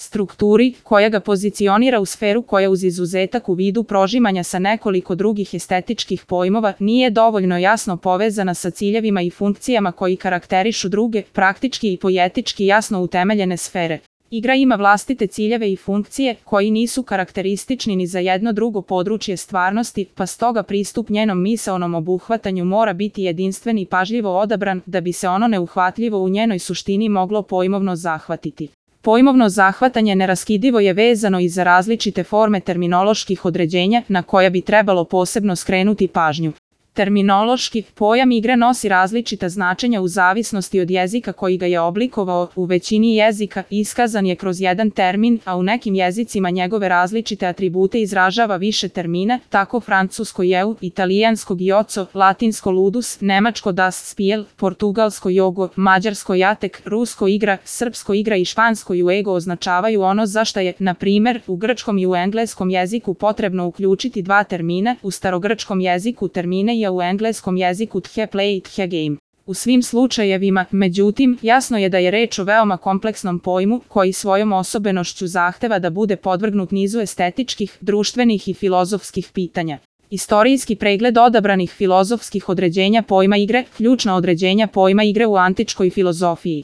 strukturi, koja ga pozicionira u sferu koja uz izuzetak u vidu prožimanja sa nekoliko drugih estetičkih pojmova nije dovoljno jasno povezana sa ciljevima i funkcijama koji karakterišu druge, praktički i poetički jasno utemeljene sfere. Igra ima vlastite ciljeve i funkcije koji nisu karakteristični ni za jedno drugo područje stvarnosti, pa stoga pristup njenom misaonom obuhvatanju mora biti jedinstven i pažljivo odabran da bi se ono neuhvatljivo u njenoj suštini moglo pojmovno zahvatiti. Pojmovno zahvatanje neraskidivo je vezano i za različite forme terminoloških određenja na koja bi trebalo posebno skrenuti pažnju. Terminološki pojam igre nosi različita značenja u zavisnosti od jezika koji ga je oblikovao. U većini jezika iskazan je kroz jedan termin, a u nekim jezicima njegove različite atribute izražava više termina, tako francusko eu, italijansko gioco, latinsko ludus, nemačko das spiel, portugalsko jogo, mađarsko jatek, rusko igra, srpsko igra i špansko juego označavaju ono za šta je, na primer, u grčkom i u engleskom jeziku potrebno uključiti dva termina, u starogrčkom jeziku termine i u engleskom jeziku the play i the game. U svim slučajevima, međutim, jasno je da je reč o veoma kompleksnom pojmu koji svojom osobenošću zahteva da bude podvrgnut nizu estetičkih, društvenih i filozofskih pitanja. Istorijski pregled odabranih filozofskih određenja pojma igre, ključna određenja pojma igre u antičkoj filozofiji.